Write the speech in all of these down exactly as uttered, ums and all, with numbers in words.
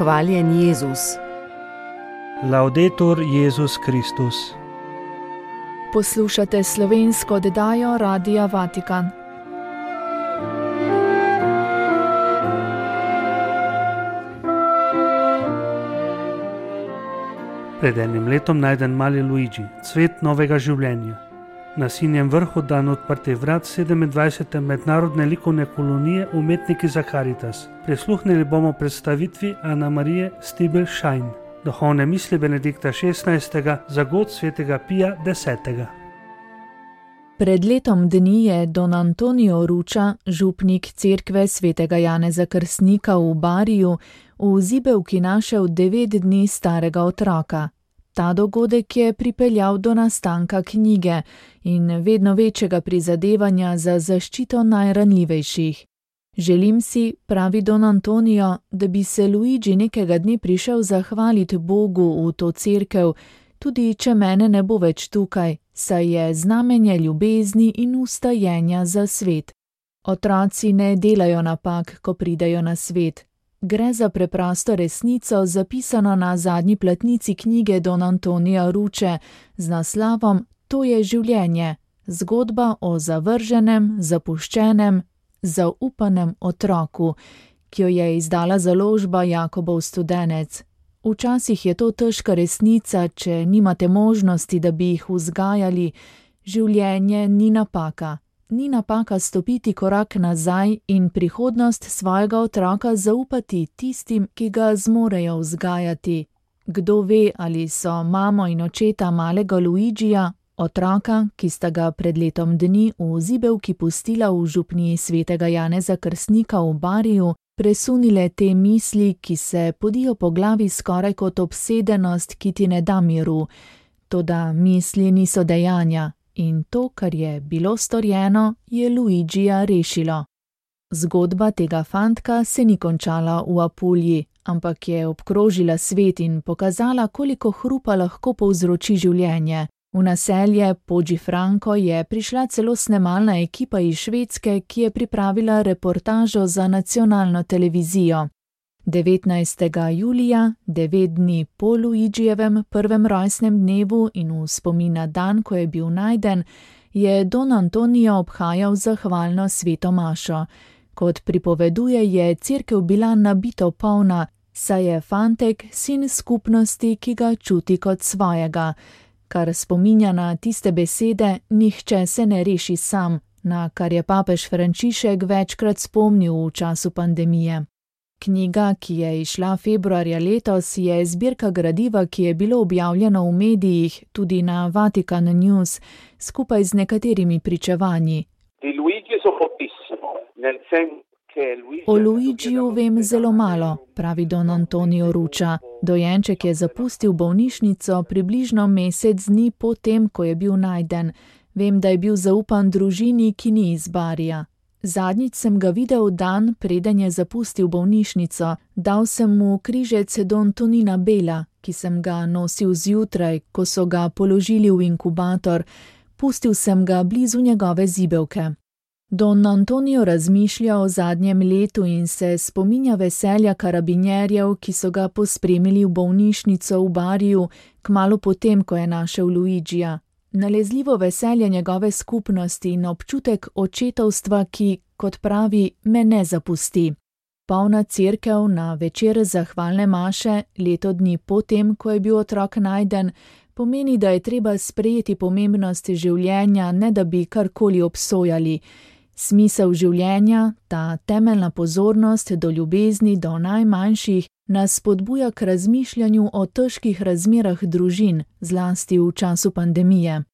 Hvaljen Jezus. Laudetur Jezus Kristus. Poslušate slovensko oddajo Radia Vatikan. Pred enim letom najden mali Luigi, cvet novega življenja. Na Sinjem vrhu dan odprtih vrat sedemindvajsete mednarodne likovne kolonije Umetniki za Karitas. Prisluhnili bomo predstavitvi Ana Marije Stibel-Schein, duhovne misli Benedikta šestnajstega za god svetega Pija desetega. Pred letom dni je don Antonio Ruča, župnik cerkve svetega Janeza Krstnika v Bariju, v zibelki našel devet dni starega otroka. Ta dogodek je pripeljal do nastanka knjige in vedno večjega prizadevanja za zaščito najranljivejših. Želim si, pravi don Antonio, da bi se Luigi nekega dne prišel zahvaliti Bogu v to cerkev, tudi če mene ne bo več tukaj, saj je znamenje ljubezni in vstajenja za svet. Otroci ne delajo napak, ko pridejo na svet. Gre za preprosto resnico, zapisano na zadnji platnici knjige don Antonija Ruče z naslovom To je življenje, zgodba o zavrženem, zapuščenem, zaupanem otroku, ki jo je izdala založba Jakobov studenec. Včasih je to težka resnica, če nimate možnosti, da bi jih vzgajali. Življenje ni napaka. Ni napaka stopiti korak nazaj in prihodnost svojega otroka zaupati tistim, ki ga zmorejo vzgajati. Kdo ve, ali so mamo in očeta malega Luigija, otroka, ki sta ga pred letom dni v zibelki pustila v župniji svetega Janeza Krstnika v Bariju, presunile te misli, ki se podijo po glavi skoraj kot obsedenost, ki ti ne da miru. Toda misli niso dejanja. In to, kar je bilo storjeno, je Luigija rešilo. Zgodba tega fantka se ni končala v Apulji, ampak je obkrožila svet in pokazala, koliko hrupa lahko povzroči življenje. V naselje Poggifranco je prišla celo snemalna ekipa iz Švedske, ki je pripravila reportažo za nacionalno televizijo. devetnajstega julija, devet dni po Luigijevem prvem rojstnem dnevu in v spomin na dan, ko je bil najden, je don Antonio obhajal zahvalno sveto mašo. Kot pripoveduje, je cerkev bila nabito polna, saj je fantek sin skupnosti, ki ga čuti kot svojega. Kar spominja na tiste besede, nihče se ne reši sam, na kar je papež Frančišek večkrat spomnil v času pandemije. Knjiga, ki je izšla februarja letos, je zbirka gradiva, ki je bilo objavljeno v medijih, tudi na Vatikan News, skupaj z nekaterimi pričevanji. O Luigiju vem zelo malo, pravi don Antonio Ruča. Dojenček je zapustil bolnišnico približno mesec dni po tem, ko je bil najden. Vem, da je bil zaupan družini, ki ni iz Barija. Zadnjič sem ga videl dan, preden je zapustil bolnišnico. Dal sem mu križec don Tonina Bela, ki sem ga nosil zjutraj, ko so ga položili v inkubator. Pustil sem ga blizu njegove zibelke. Don Antonio razmišlja o zadnjem letu in se spominja veselja karabinjerjev, ki so ga pospremili v bolnišnico v Bariju, kmalu potem, ko je našel Luigija. Nalezljivo veselje njegove skupnosti in občutek očetovstva, ki, kot pravi, me ne zapusti. Polna cerkev na večer zahvalne maše, leto dni potem, ko je bil otrok najden, pomeni, da je treba sprejeti pomembnost življenja, ne da bi karkoli obsojali. Smisel življenja, ta temeljna pozornost do ljubezni do najmanjših, nas spodbuja k razmišljanju o težkih razmerah družin, zlasti v času pandemije.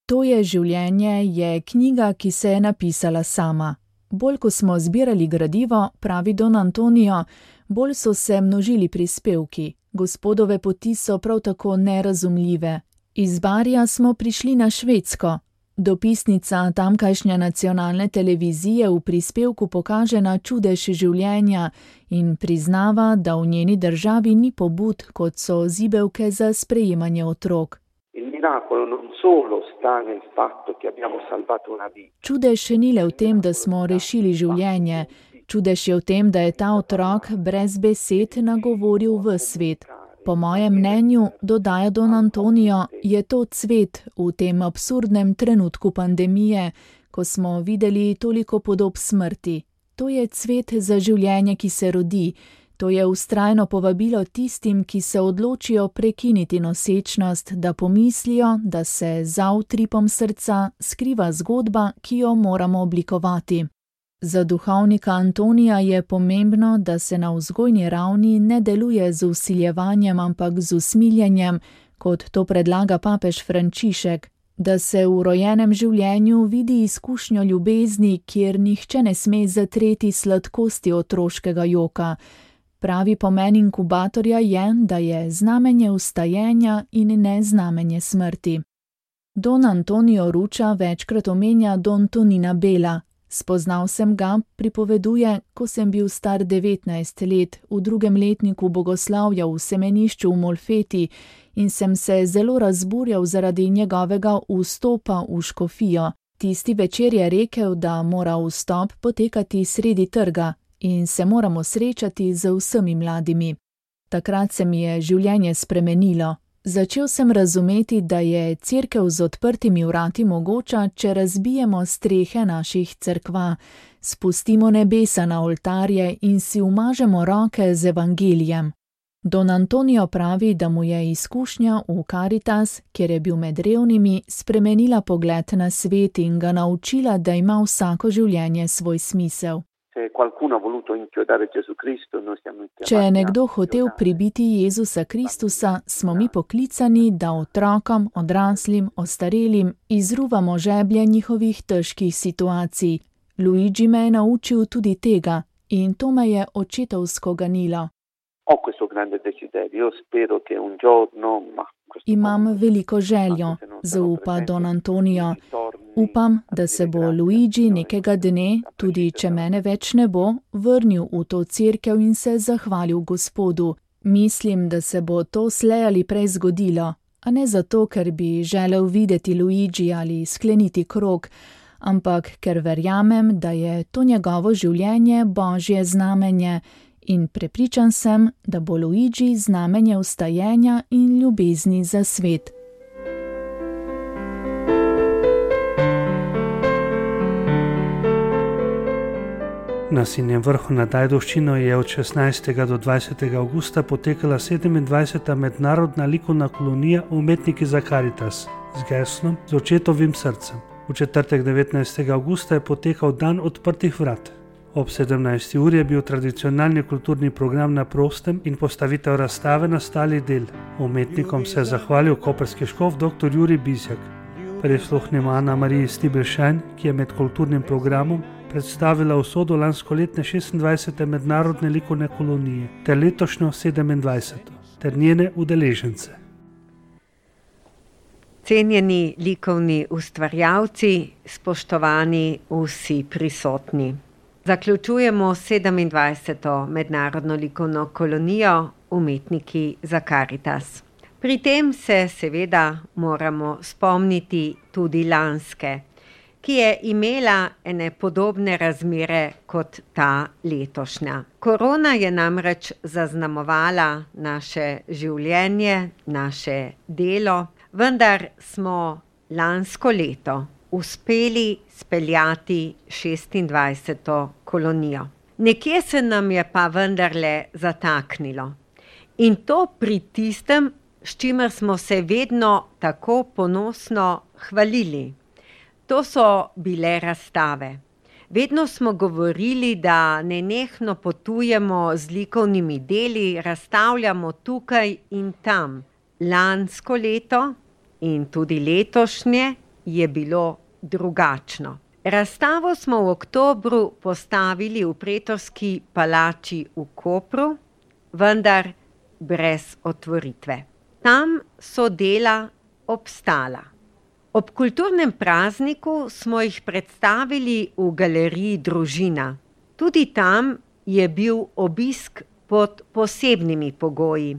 To je življenje je knjiga, ki se je napisala sama. Bolj ko smo zbirali gradivo, pravi don Antonio, bolj so se množili prispevki. Gospodove poti so prav tako nerazumljive. Iz Barija smo prišli na Švedsko. Dopisnica tamkajšnje nacionalne televizije v prispevku pokaže na čudež življenja in priznava, da v njeni državi ni pobud, kot so zibelke za sprejemanje otrok. Čudež še ni le v tem, da smo rešili življenje. čudež je v tem, da je ta otrok brez besed nagovoril v svet. Po mojem mnenju, dodaja Don Antonijo, je to cvet v tem absurdnem trenutku pandemije, ko smo videli toliko podob smrti. To je cvet za življenje, ki se rodi. To je vztrajno povabilo tistim, ki se odločijo prekiniti nosečnost, da pomislijo, da se za utripom srca skriva zgodba, ki jo moramo oblikovati. Za duhovnika Antonija je pomembno, da se na vzgojni ravni ne deluje z vsiljevanjem, ampak z usmiljenjem, kot to predlaga papež Frančišek, da se v rojenem življenju vidi izkušnjo ljubezni, kjer nihče ne sme zatreti sladkosti otroškega joka. Pravi pomen inkubatorja je, da je znamenje vstajenja in ne znamenje smrti. Don Antonio Ruča večkrat omenja Don Tonina Bela. Spoznal sem ga, pripoveduje, ko sem bil star devetnajst let, v drugem letniku bogoslavja v semenišču v Molfeti in sem se zelo razburjal zaradi njegovega vstopa v škofijo. Tisti večer je rekel, da mora vstop potekati sredi trga in se moramo srečati z vsemi mladimi. Takrat se mi je življenje spremenilo. Začel sem razumeti, da je cerkev z odprtimi vrati mogoča, če razbijemo strehe naših cerkva, spustimo nebesa na oltarje in si umažemo roke z evangelijem. Don Antonijo pravi, da mu je izkušnja v Caritas, kjer je bil med revnimi, spremenila pogled na svet in ga naučila, da ima vsako življenje svoj smisel. Če je nekdo hotel pribiti Jezusa Kristusa, smo mi poklicani, da otrokom, odraslim, ostarelim izruvamo žeblje njihovih težkih situacij. Luigi me je naučil tudi tega in to me je očetovsko ganilo. Imam veliko željo, zaupa Don Antonijo. Upam, da se bo Luigi nekega dne, tudi če mene več ne bo, vrnil v to cerkev in se zahvalil Gospodu. Mislim, da se bo to slej ali prej zgodilo, a ne zato, ker bi želel videti Luigi ali skleniti krog, ampak ker verjamem, da je to njegovo življenje Božje znamenje in prepričan sem, da bo Luigi znamenje vstajenja in ljubezni za svet. Na Sinjem vrhu nad Ajdovščino je od šestnajstega do dvajsetega avgusta potekala sedemindvajseta mednarodna likovna kolonija Umetniki za Caritas z geslom Z očetovim srcem. V četrtek devetnajstega avgusta je potekal dan odprtih vrat. Ob sedemnajsti uri je bil tradicionalni kulturni program na prostem in postavitev razstave nastalih del. Umetnikom se je zahvalil koprski škof dr. Jurij Bizjak. Prisluhnimo Ana Mariji Stibelšajn, ki je med kulturnim programom predstavila usodo lanskoletne šestindvajsete mednarodne likovne kolonije ter letošnjo sedemindvajseto ter njene udeležence. Cenjeni likovni ustvarjalci, spoštovani vsi prisotni. Zaključujemo sedemindvajseto mednarodno likovno kolonijo Umetniki za Caritas. Pri tem se seveda moramo spomniti tudi lanske, ki je imela ene podobne razmere kot ta letošnja. Korona je namreč zaznamovala naše življenje, naše delo, vendar smo lansko leto uspeli speljati šestindvajseto kolonijo. Nekje se nam je pa vendarle zataknilo. In to pri tistem, s čimer smo se vedno tako ponosno hvalili. To so bile razstave. Vedno smo govorili, da nenehno potujemo z likovnimi deli, razstavljamo tukaj in tam. Lansko leto in tudi letošnje je bilo drugačno. Razstavo smo v oktobru postavili v Pretorski palači v Kopru, vendar brez otvoritve. Tam so dela obstala. Ob kulturnem prazniku smo jih predstavili v galeriji Družina. Tudi tam je bil obisk pod posebnimi pogoji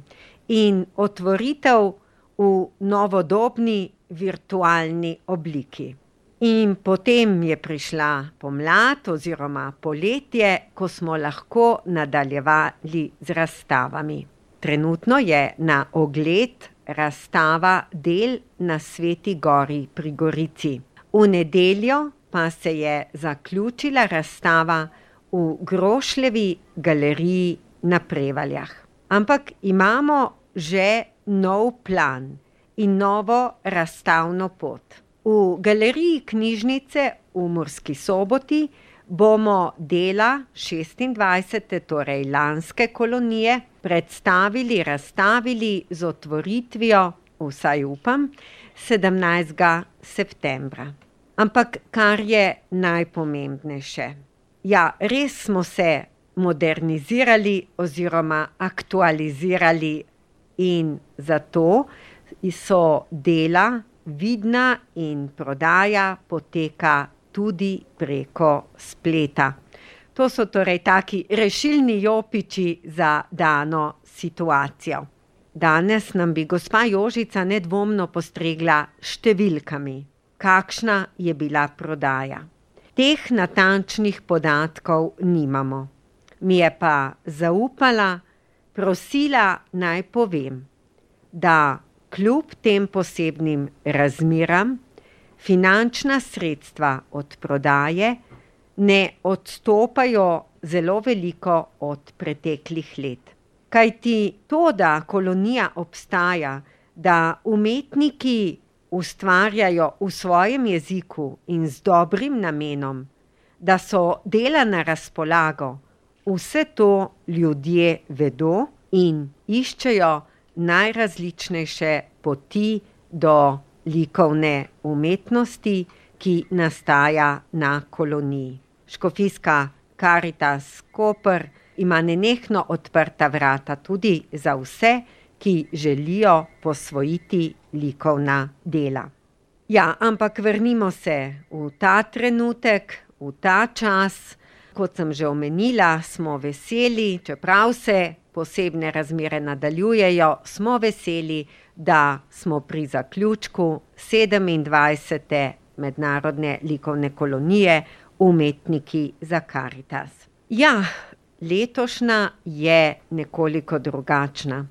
in otvoritev v novodobni virtualni obliki. In potem je prišla pomlad oziroma poletje, ko smo lahko nadaljevali z razstavami. Trenutno je na ogled razstava del na Sveti gori pri Gorici. V nedeljo pa se je zaključila razstava v Grošljevi galeriji na Prevaljah. Ampak imamo že nov plan in novo razstavno pot. V galeriji knjižnice v Murski Soboti bomo dela šestindvajsete, torej lanske kolonije, predstavili, razstavili z otvoritvijo, vsaj upam, sedemnajstega septembra. Ampak kar je najpomembnejše, ja, res smo se modernizirali oziroma aktualizirali in zato so dela vidna in prodaja poteka tudi preko spleta. To so torej taki rešilni jopiči za dano situacijo. Danes nam bi gospa Jožica nedvomno postregla številkami, kakšna je bila prodaja. Teh natančnih podatkov nimamo. Mi je pa zaupala, prosila naj povem, da kljub tem posebnim razmeram finančna sredstva od prodaje ne odstopajo zelo veliko od preteklih let. Kajti to, da kolonija obstaja, da umetniki ustvarjajo v svojem jeziku in z dobrim namenom, da so dela na razpolago, vse to ljudje vedo in iščejo najrazličnejše poti do likovne umetnosti, ki nastaja na koloniji. Škofijska Karitas Koper ima nenehno odprta vrata tudi za vse, ki želijo posvojiti likovna dela. Ja, ampak vrnimo se v ta trenutek, v ta čas. Kot sem že omenila, smo veseli, čeprav se posebne razmere nadaljujejo, smo veseli, da smo pri zaključku sedemindvajsete mednarodne likovne kolonije Umetniki za Karitas. Ja, letošnja je nekoliko drugačna.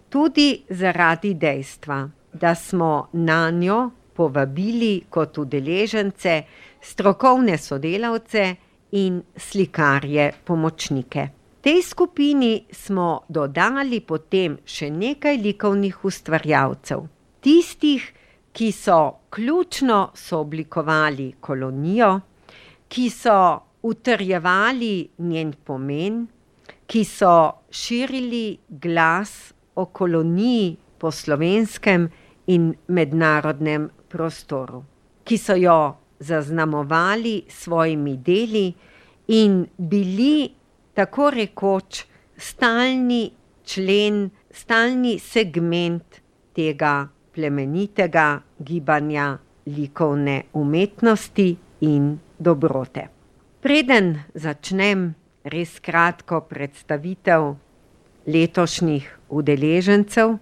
Tudi zaradi dejstva, da smo nanjo povabili kot udeležence strokovne sodelavce in slikarje pomočnike. Tej skupini smo dodali potem še nekaj likovnih ustvarjalcev. Tistih, ki so ključno sooblikovali kolonijo, ki so utrjevali njen pomen, ki so širili glas o koloniji po slovenskem in mednarodnem prostoru, ki so jo zaznamovali svojimi deli in bili tako rekoč stalni člen, stalni segment tega plemenitega gibanja likovne umetnosti in dobrote. Preden začnem res kratko predstavitev letošnjih udeležencev,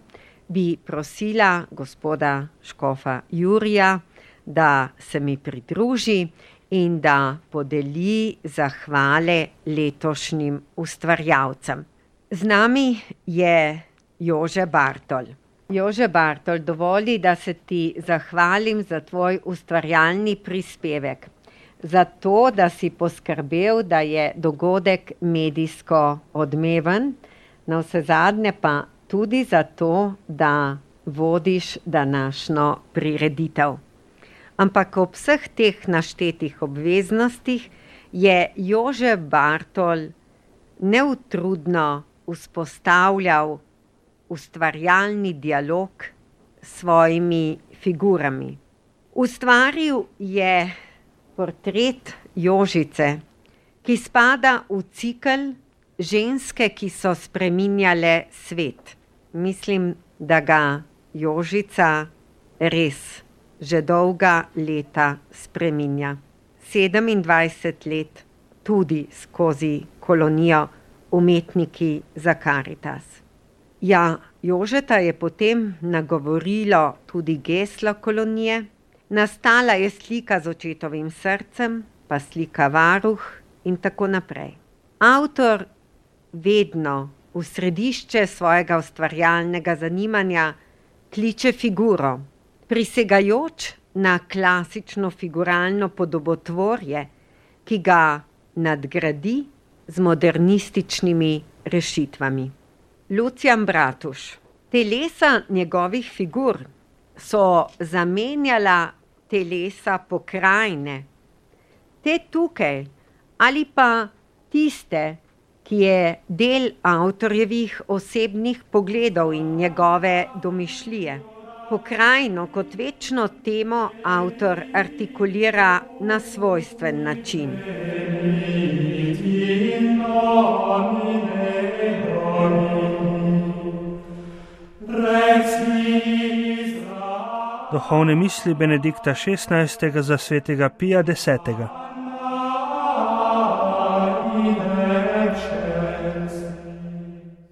bi prosila gospoda škofa Jurija, da se mi pridruži in da podeli zahvale letošnjim ustvarjalcem. Z nami je Jože Bartol. Jože Bartol, dovoli, da se ti zahvalim za tvoj ustvarjalni prispevek. Za to, da si poskrbel, da je dogodek medijsko odmeven, navsezadnje pa tudi za to, da vodiš današnjo prireditev. Ampak ob vseh teh naštetih obveznostih je Jože Bartol neutrudno vzpostavljal ustvarjalni dialog s svojimi figurami. Ustvaril je portret Jožice, ki spada v cikel Ženske, ki so spreminjale svet. Mislim, da ga Jožica res že dolga leta spreminja. sedemindvajset let tudi skozi kolonijo Umetniki za Karitas. Ja, Jožeta je potem nagovorilo tudi geslo kolonije, Nastala je slika z očetovim srcem, pa slika varuh in tako naprej. Avtor vedno v središče svojega ustvarjalnega zanimanja kliče figuro, prisegajoč na klasično figuralno podobotvorje, ki ga nadgradi z modernističnimi rešitvami. Lucijan Bratuš. Telesa njegovih figur so zamenjala telesa pokrajine. Te tukaj ali pa tiste, ki je del avtorjevih osebnih pogledov in njegove domišljije. Pokrajino kot večno temo avtor artikulira na svojstven način. Duhovne misli Benedikta šestnajstega za svetega Pija desetega.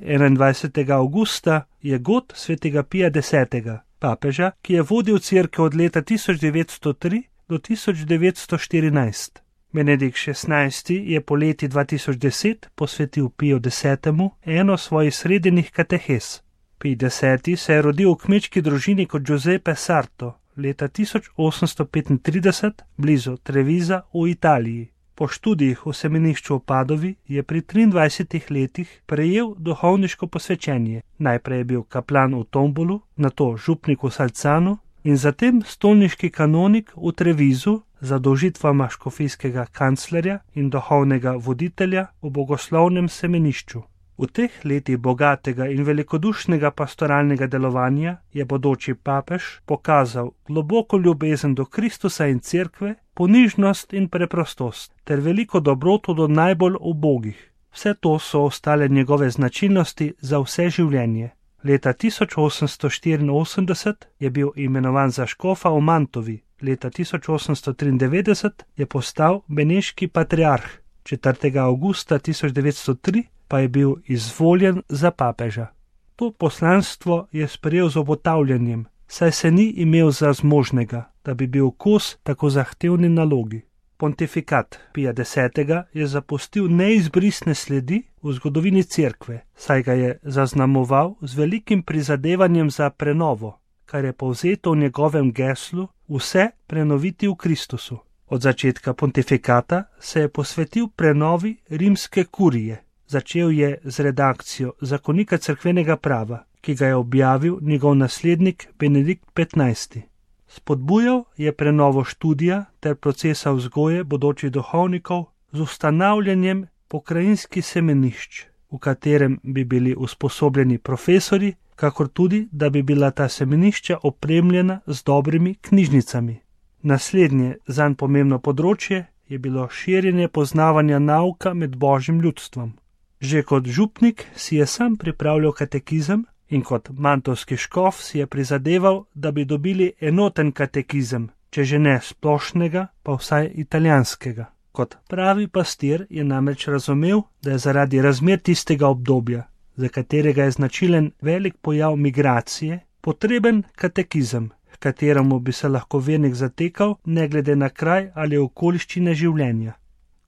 enaindvajsetega avgusta je god svetega Pija desetega, papeža, ki je vodil cerkev od leta tisoč devetsto tri do tisoč devetsto štirinajst. Benedikt šestnajsti je poleti dva tisoč deset posvetil Piju desetemu eno svojih srednjih katehes. Pij deseti se je rodil v kmečki družini kot Giuseppe Sarto leta tisoč osemsto petintrideset blizu Trevisa v Italiji. Po študijih v semenišču v Padovi je pri triindvajsetih letih prejel duhovniško posvečenje. Najprej je bil kaplan v Tombolu, nato župnik v Salcanu in zatem stolniški kanonik v Trevisu za dolžitvama škofijskega kanclerja in duhovnega voditelja v bogoslovnem semenišču. V teh letih bogatega in velikodušnega pastoralnega delovanja je bodoči papež pokazal globoko ljubezen do Kristusa in cerkve, ponižnost in preprostost ter veliko dobroto do najbolj ubogih. Vse to so ostale njegove značilnosti za vse življenje. Leta tisoč osemsto štiriinosemdeset je bil imenovan za škofa v Mantovi, leta tisoč osemsto triindevetdeset je postal beneški patriarh, četrtega avgusta tisoč devetsto tri pa je bil izvoljen za papeža. To poslanstvo je sprejel z obotavljanjem, saj se ni imel za zmožnega, da bi bil kos tako zahtevni nalogi. Pontifikat Pija desetega je zapustil neizbrisne sledi v zgodovini cerkve, saj ga je zaznamoval z velikim prizadevanjem za prenovo, kar je povzeto v njegovem geslu vse prenoviti v Kristusu. Od začetka pontifikata se je posvetil prenovi rimske kurije. Začel je z redakcijo zakonika cerkvenega prava, ki ga je objavil njegov naslednik Benedikt petnajsti. Spodbujal je prenovo študija ter procesa vzgoje bodočih duhovnikov z ustanavljanjem pokrajinskih semenišč, v katerem bi bili usposobljeni profesori, kakor tudi, da bi bila ta semenišča opremljena z dobrimi knjižnicami. Naslednje zanj pomembno področje je bilo širjenje poznavanja nauka med božjim ljudstvom. Že kot župnik si je sam pripravljal katekizem in kot mantovski škof si je prizadeval, da bi dobili enoten katekizem, če že ne splošnega, pa vsaj italijanskega. Kot pravi pastir je namreč razumel, da je zaradi razmer tistega obdobja, za katerega je značilen velik pojav migracije, potreben katekizem, h kateremu bi se lahko vernik zatekal ne glede na kraj ali okoliščine življenja.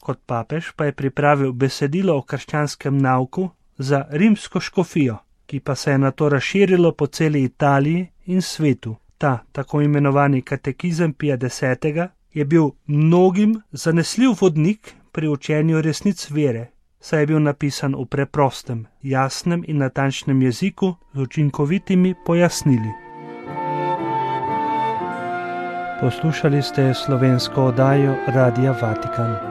Kot papež pa je pripravil besedilo o krščanskem nauku za rimsko škofijo, ki pa se je nato razširilo po celi Italiji in svetu. Ta tako imenovani katekizem Pija desetega je bil mnogim zanesljiv vodnik pri učenju resnic vere, saj je bil napisan v preprostem, jasnem in natančnem jeziku z učinkovitimi pojasnili. Poslušali ste slovensko oddajo Radia Vatikan.